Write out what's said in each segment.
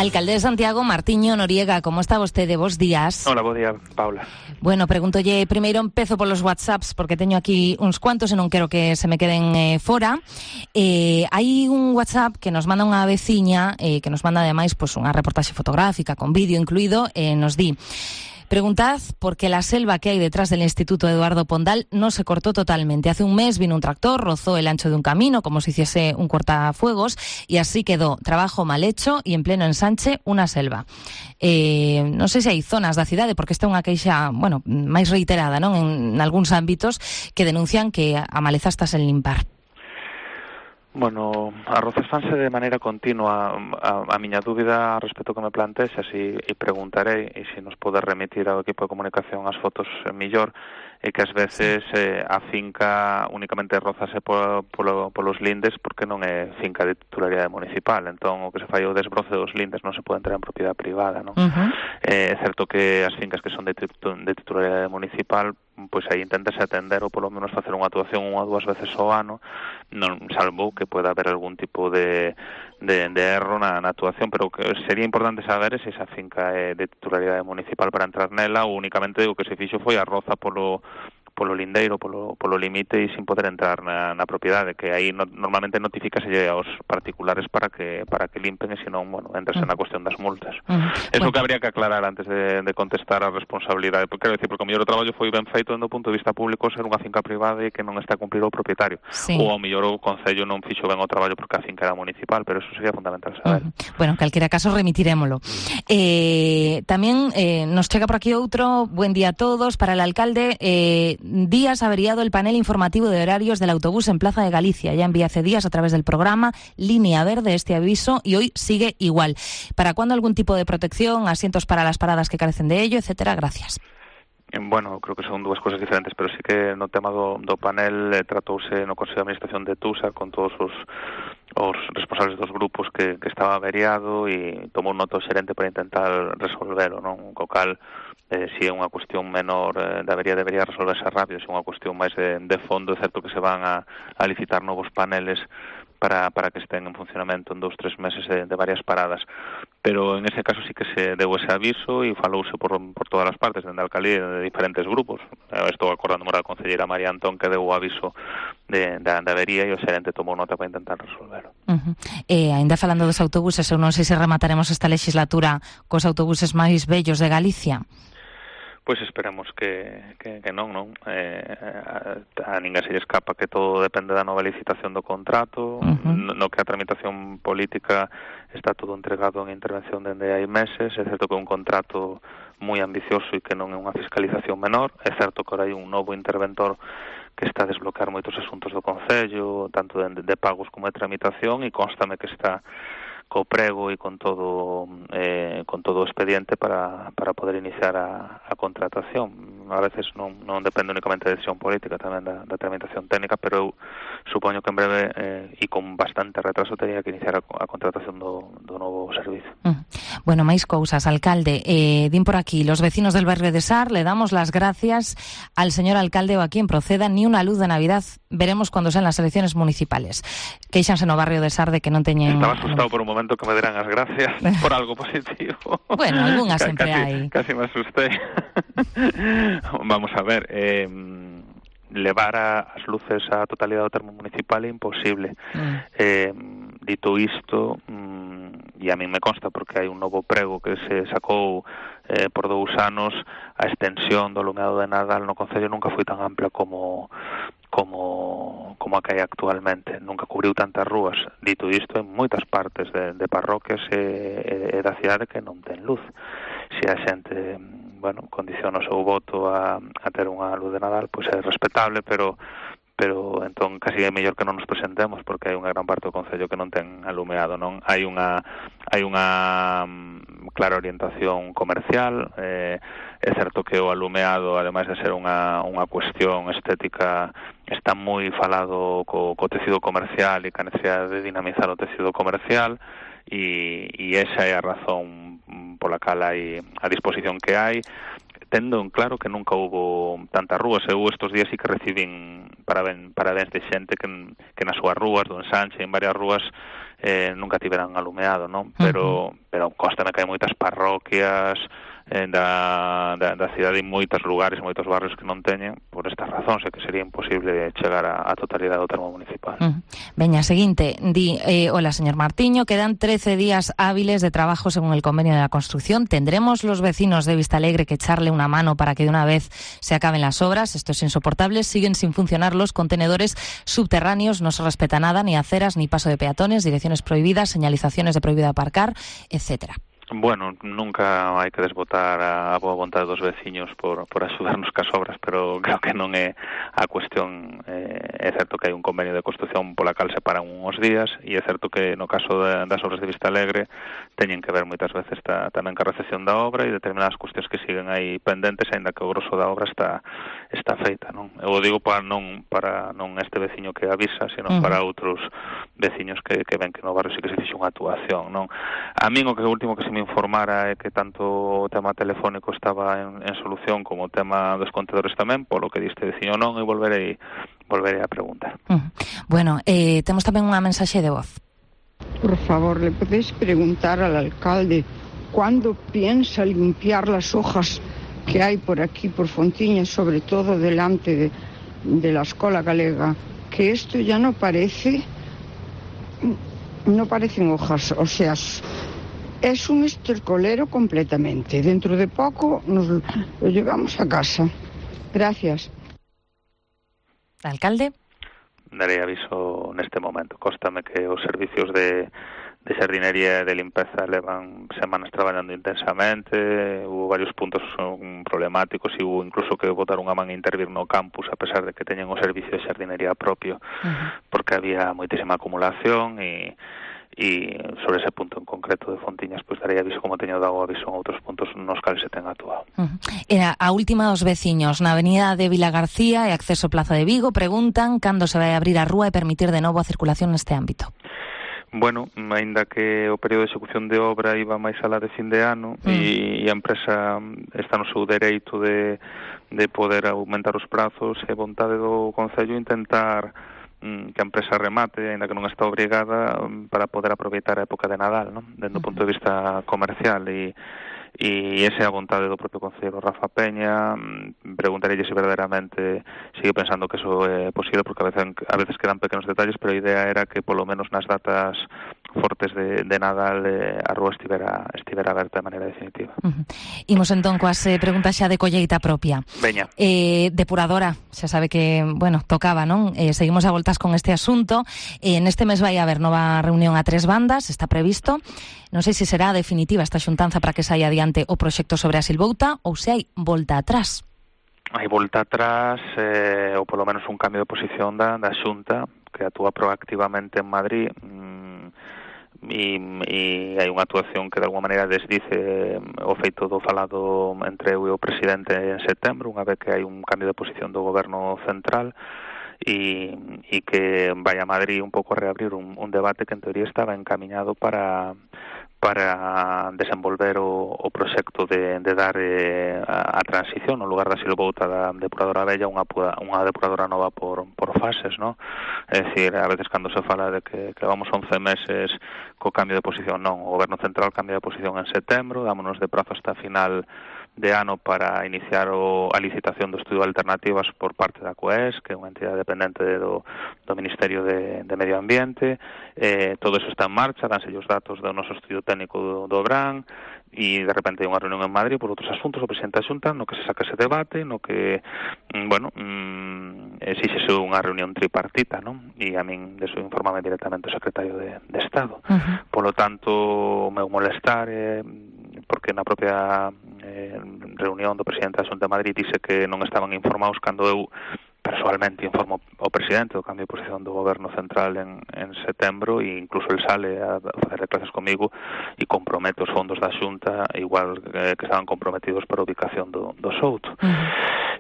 Alcalde de Santiago, Martiño Noriega, como está vostede? Bos días. Hola, bo día, Paula. Bueno, pregúntolle primeiro, empezo polos WhatsApps, porque teño aquí uns cuantos e non quero que se me queden fora. Hai un WhatsApp que nos manda unha veciña, que nos manda ademais pues, unha reportaxe fotográfica con vídeo incluído, nos di: preguntad por qué la selva que hay detrás del Instituto Eduardo Pondal no se cortó totalmente. Hace un mes vino un tractor, rozó el ancho de un camino como si hiciese un cortafuegos y así quedó. Trabajo mal hecho y en pleno ensanche una selva. Non sei se hai zonas da cidade, porque esta é unha queixa, bueno, máis reiterada, non, en algúns ámbitos, que denuncian que a maleza está sen limpar. Bueno, as roces fanse de maneira continua. A miña dúbida a respecto que me plantexas e preguntarei, e se nos pode remitir ao equipo de comunicación as fotos millor, é que ás veces a finca únicamente rozase polos lindes porque non é finca de titularidade municipal. Entón, o que se fai o desbroce dos lindes non se pode entrar en propiedade privada, non? É certo que as fincas que son de titularidade municipal, pois aí intentase atender ou polo menos facer unha actuación unha ou dúas veces ao ano, non, salvo que poida haber algún tipo de erro na actuación, pero que sería importante saber se esa finca é de titularidade municipal para entrar nela ou únicamente o que se fixo foi a roza polo lindeiro, polo limite e sin poder entrar na propiedade, que aí normalmente notifícase aos particulares para que limpen e senón, bueno, entrase na cuestión das multas. Eso que habría que aclarar antes de contestar a responsabilidade, porque quero dicir, porque o mellor o traballo foi ben feito do punto de vista público ser unha finca privada e que non está a cumprir o propietario. Ou ao mellor o Concello non fixo ben o traballo porque a finca era municipal, pero eso sería fundamental saber. Bueno, en calquera caso remitirémolo. Tamén nos chega por aquí outro, buen día a todos, para el alcalde. Días averiado el panel informativo de horarios del autobús en Plaza de Galicia. Ya envié hace días a través del programa Línea Verde este aviso y hoy sigue igual. ¿Para cuándo algún tipo de protección, asientos para las paradas que carecen de ello, etcétera? Gracias. Bueno, creo que son dúas cousas diferentes, pero sí que no tema do panel tratouse no Consello de Administración de TUSA con todos os responsables dos grupos que estaba averiado e tomou nota o xerente para intentar resolvelo, non? Co cal, si é unha cuestión menor de avería, debería resolverse rápido. Se é unha cuestión máis de fondo, é certo que se van a licitar novos paneles para que estén en funcionamento en 2-3 meses de varias paradas. Pero en ese caso sí que se deu ese aviso e falouse por todas as partes, dende a alcaldía de diferentes grupos. Estou acordando da concelleira María Antón que deu o aviso de avería e o xerente tomou nota para intentar resolverlo. Ainda falando dos autobuses, eu non sei se remataremos esta legislatura cos autobuses máis bellos de Galicia. Pois esperemos que non. A ninguén se lle escapa que todo depende da nova licitación do contrato, no que a tramitación política está todo entregado en intervención dende hai meses. É certo que é un contrato moi ambicioso e que non é unha fiscalización menor. É certo que ahora hai un novo interventor que está a desbloquear moitos asuntos do Concello, tanto de pagos como de tramitación, e constame que está co prego e con todo o expediente para poder iniciar a contratación. A veces non depende únicamente da decisión política, tamén da tramitación técnica, pero eu supoño que en breve e con bastante retraso teria que iniciar a contratación do novo servicio. Bueno, máis cousas, alcalde. Din por aquí, los vecinos del barrio de Sar le damos las gracias al señor alcalde o a quien proceda. Ni una luz de Navidad veremos cuando sean las elecciones municipales. Queixanse no barrio de Sar de que non teñen... Estaba asustado por un momento que me deran as gracias por algo positivo. Bueno, algunhas sempre hai. Casi me asusté. Vamos a ver, levar as luces á totalidade do termo municipal é imposible. Dito isto, e a min me consta porque hai un novo prego que se sacou por 2 anos, a extensión do alumeado de Nadal no Concello nunca foi tan ampla como a que hai actualmente. Nunca cubriu tantas rúas. Dito isto, en moitas partes de parroquias e da cidade que non ten luz. Se a xente, bueno, condiciona o seu voto a ter unha luz de Nadal, pois é respetable, pero entón casi é mellor que non nos presentemos porque hai unha gran parte do Concello que non ten alumeado, non? Hai unha clara orientación comercial. É certo que o alumeado, ademais de ser unha cuestión estética, está moi falado co tecido comercial e ca necesidade de dinamizar o tecido comercial, e esa é a razón pola cal hai a disposición que hai. tendo en claro que nunca hubo tantas rúas. Eu estos días sí que recibín parabéns de xente que nas súas rúas, do ensanche, en varias rúas, nunca tiveran alumeado, non? Pero constame que hai moitas parroquias da cidade e moitos lugares, moitos barrios que non teñen por estas razóns, e que sería imposible chegar á totalidade do termo municipal. Veña, seguinte, hola señor Martiño, quedan 13 días hábiles de trabajo según el convenio de la construcción. ¿Tendremos los vecinos de Vistalegre que echarle una mano para que de una vez se acaben las obras? Esto es insoportable, siguen sin funcionar los contenedores subterráneos, no se respeta nada, ni aceras, ni paso de peatones, direcciones prohibidas, señalizaciones de prohibido aparcar, etcétera. Bueno, nunca hai que desbotar a boa vontade dos veciños por axudarnos cas obras, pero creo que non é a cuestión. É certo que hai un convenio de construcción pola cal se paran uns días, e é certo que no caso das obras de Vistalegre teñen que ver moitas veces tamén ca recepción da obra e determinadas cuestións que siguen aí pendentes, aínda que o grosso da obra está feita, non? Eu digo para non este veciño que avisa, sino para outros veciños que ven que no barrio sí que se fixe unha actuación, non? A min o último que se me informara é que tanto o tema telefónico estaba en solución como o tema dos contedores tamén, polo que diste veciño non, e volverei a preguntar. Bueno, temos tamén unha mensaxe de voz. Por favor, ¿le podéis preguntar al alcalde cuándo piensa limpiar las hojas que hay por aquí, por Fontiña, sobre todo delante de la Escola Galega? Que esto ya no parecen hojas, o sea, es un estercolero completamente. Dentro de poco nos lo llevamos a casa. Gracias. Alcalde. Darei aviso neste momento. Cóstame que os servicios de xardinería e de limpeza levan semanas traballando intensamente. Hubo varios puntos problemáticos e hubo incluso que botar unha man a intervir no campus, a pesar de que teñen o servicio de xardinería propio, porque había moitísima acumulación e sobre ese punto en concreto de Fontiñas, pois darei aviso como teño dado aviso en outros puntos nos cales se ten actuado. Era a última dos veciños na avenida de Vila García e acceso Plaza de Vigo preguntan cando se vai abrir a rúa e permitir de novo a circulación neste ámbito. Bueno, aínda que o período de execución de obra iba máis alá de fin de ano e a empresa está no seu dereito de poder aumentar os prazos, e vontade do Concello intentar que a empresa remate, aínda que non está obrigada, para poder aproveitar a época de Nadal, non? Dende o punto de vista comercial, e esa é a vontade do propio concelleiro Rafa Peña. Preguntareille se verdadeiramente sigue pensando que eso é posible, porque a veces quedan pequenos detalles, pero a idea era que polo menos nas datas fortes de Nadal a rúa estivera aberta de maneira definitiva. Imos entón coas preguntas xa de colleita propia. Veña. Depuradora, xa sabe que, bueno, tocaba, non? Seguimos a voltas con este asunto. Neste mes vai haber nova reunión a 3 bandas, está previsto. Non sei se será definitiva esta xuntanza para que saia adiante o proxecto sobre a Silvouta ou se hai volta atrás. Hai volta atrás, ou polo menos un cambio de posición da Xunta, que actúa proactivamente en Madrid, e hai unha actuación que de alguma maneira desdice o feito do falado entre eu e o presidente en setembro, unha vez que hai un cambio de posición do goberno central, e que vai a Madrid un pouco a reabrir un debate que en teoría estaba encamiñado para desenvolver o proxecto de dar a transición no lugar da Silvouta da depuradora vella unha depuradora nova por fases, non? É dicir, a veces cando se fala de que vamos 11 meses co cambio de posición, non, o goberno central cambia de posición en setembro, dámonos de prazo hasta final de ano para iniciar a licitación do estudio de alternativas por parte da COES, que é unha entidade dependente do Ministerio de Medio Ambiente. Todo eso está en marcha, danse os datos do noso estudio técnico do BRAN, e de repente hai unha reunión en Madrid por outros asuntos, o presidente da Xunta, no que se saca ese debate, no que, exíxese unha reunión tripartita, non? E a min deso informame directamente o secretario de Estado. Polo tanto, o meu molestar porque na propia reunión do presidente da Xunta de Madrid dice que non estaban informados cando eu personalmente informo o presidente do cambio de posición do goberno central en setembro, e incluso el sale a facer declaracións comigo e compromete os fondos da Xunta igual que estaban comprometidos para a ubicación do Souto.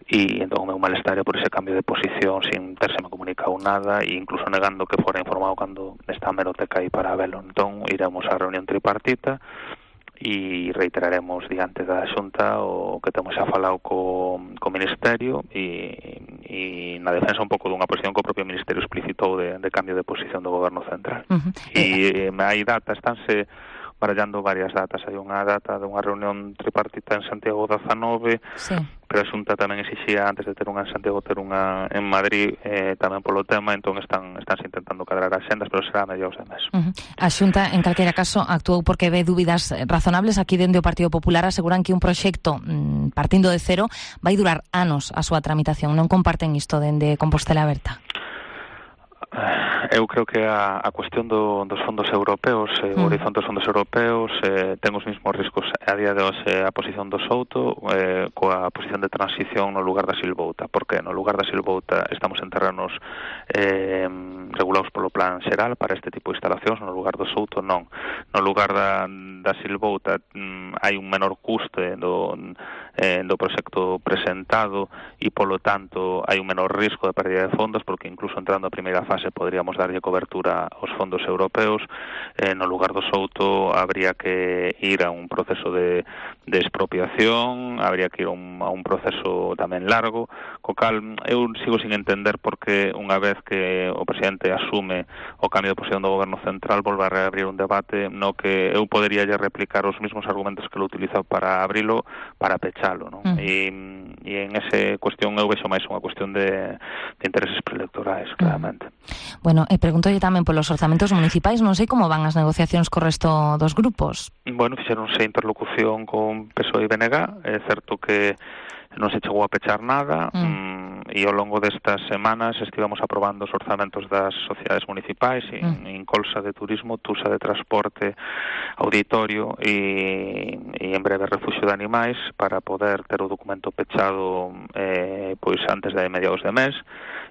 E entón o meu malestar por ese cambio de posición sin terseme comunicado nada, e incluso negando que fora informado cando está a hemeroteca aí para velo. Entón iremos á reunión tripartita e reiteraremos diante da Xunta o que temos xa falado co Ministerio e na defensa un pouco dunha posición que o propio Ministerio explicitou de cambio de posición do Goberno Central. E hai datas, estánse barallando varias datas. Hai unha data de unha reunión tripartita en Santiago 19, sí, pero a Xunta tamén exixía antes de ter unha en Santiago ter unha en Madrid tamén polo tema, entón estánse intentando cadrar as xendas, pero será a mediados de mes. A Xunta, en calquera caso, actuou porque ve dúbidas razonables. Aquí dende o Partido Popular aseguran que un proxecto partindo de cero vai durar anos a súa tramitación. Non comparten isto dende Compostela Aberta? Eu creo que a cuestión dos fondos europeos, o horizonte dos fondos europeos, ten os mesmos riscos a día de hoxe a posición do Souto coa posición de transición no lugar da Silvouta. Porque no lugar da Silvouta estamos en terrenos regulados polo plan xeral para este tipo de instalacións, no lugar do Souto non. No lugar da Silvouta hai un menor custe do proxecto presentado e, polo tanto, hai un menor risco de pérdida de fondos porque incluso entrando a primeira fase poderíamos darlle cobertura aos fondos europeos. No lugar do Souto habría que ir a un proceso de expropiación, habría que ir a un proceso tamén largo, co cal eu sigo sin entender porque unha vez que o presidente asume o cambio de posición do Goberno Central volve a reabrir un debate no que eu podería replicar os mesmos argumentos que lo utiliza para abrilo, para pechalo, non? E en esa cuestión eu vexo máis unha cuestión de intereses preelectorais, claramente. Bueno, preguntolle tamén polos orzamentos municipais, non sei como van as negociacións co resto dos grupos. Bueno, fixeronse interlocución con PSOE e BNG, é certo que non se chegou a pechar nada, e ao longo destas semanas estivemos aprobando os orzamentos das sociedades municipais, Incolsa de Turismo, Tusa de Transporte, Auditorio e en breve Refuxio de Animais, para poder ter o documento pechado pois antes de mediados de mes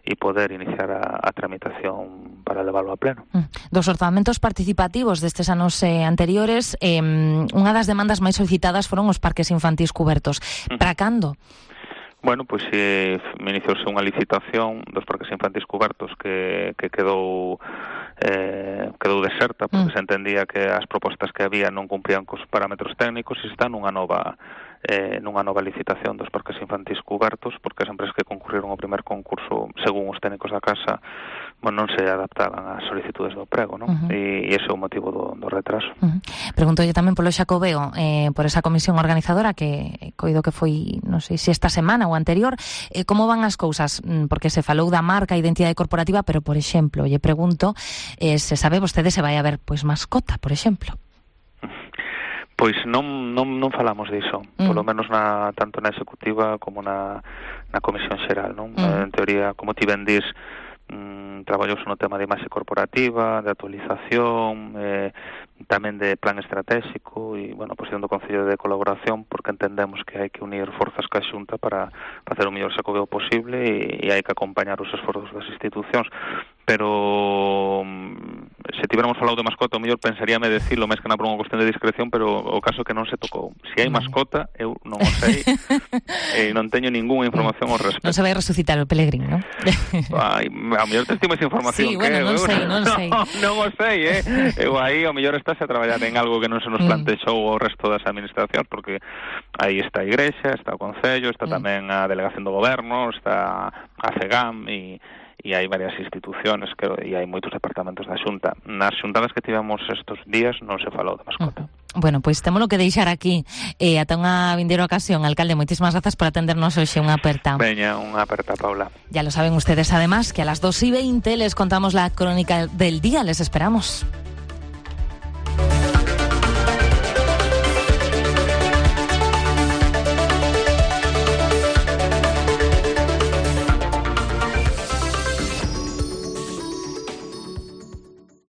e poder iniciar a tramitación para leválo a pleno. Dos orzamentos participativos destes anos anteriores, unha das demandas máis solicitadas foron os parques infantís cubertos. Para cando? Bueno, pois iniciouse unha licitación dos parques infantís cubertos que quedou deserta porque se entendía que as propostas que había non cumprían cos parámetros técnicos e está nunha nova licitación dos parques infantís cubertos porque as empresas que concurriron ao primer concurso, según os técnicos da casa, non se adaptaban ás solicitudes do prego, non? E ese é o motivo do retraso. Preguntolle tamén polo Xacobeo, por esa comisión organizadora que coido que foi, non sei se esta semana ou anterior, como van as cousas? Porque se falou da marca, identidade corporativa, pero, por exemplo, lle pregunto se sabe vostede se vai haber pois mascota, por exemplo. Pois non falamos diso, polo menos tanto na executiva como na comisión xeral, non? En teoría, como ti ben dis, traballouse no tema de imaxe corporativa, de actualización, tamén de plan estratégico e, bueno, posición do Concello de colaboración porque entendemos que hai que unir forzas ca Xunta para facer o mellor Xacobeo posible e hai que acompañar os esforzos das institucións. Pero se tiveramos falado de mascota, o mellor pensaríame decirlo máis que na por unha cuestión de discreción, pero o caso que non se tocou. Se hai mascota, eu non o sei e non teño ninguna información ao respecto. Non se vai resucitar o Pelegrín, non? Ai, ao mellor te estimo esa información. Sí, bueno, non sei. Non o sei, eu aí ao mellor estás a traballar en algo que non se nos plantexou o resto das administracións, porque aí está a Igrexa, está o Concello, está tamén a Delegación do Goberno, está a CEGAM e hai varias institucións e hai moitos departamentos da Xunta. Nas xuntadas que tivemos estes días non se falou de mascota. Bueno, pois témolo que deixar aquí ata unha vindeira ocasión. Alcalde, moitísimas grazas por atendernos hoxe. Unha aperta. Veña, unha aperta, Paula. Ya lo saben ustedes, además, que a las 2:20 les contamos la crónica del día. Les esperamos.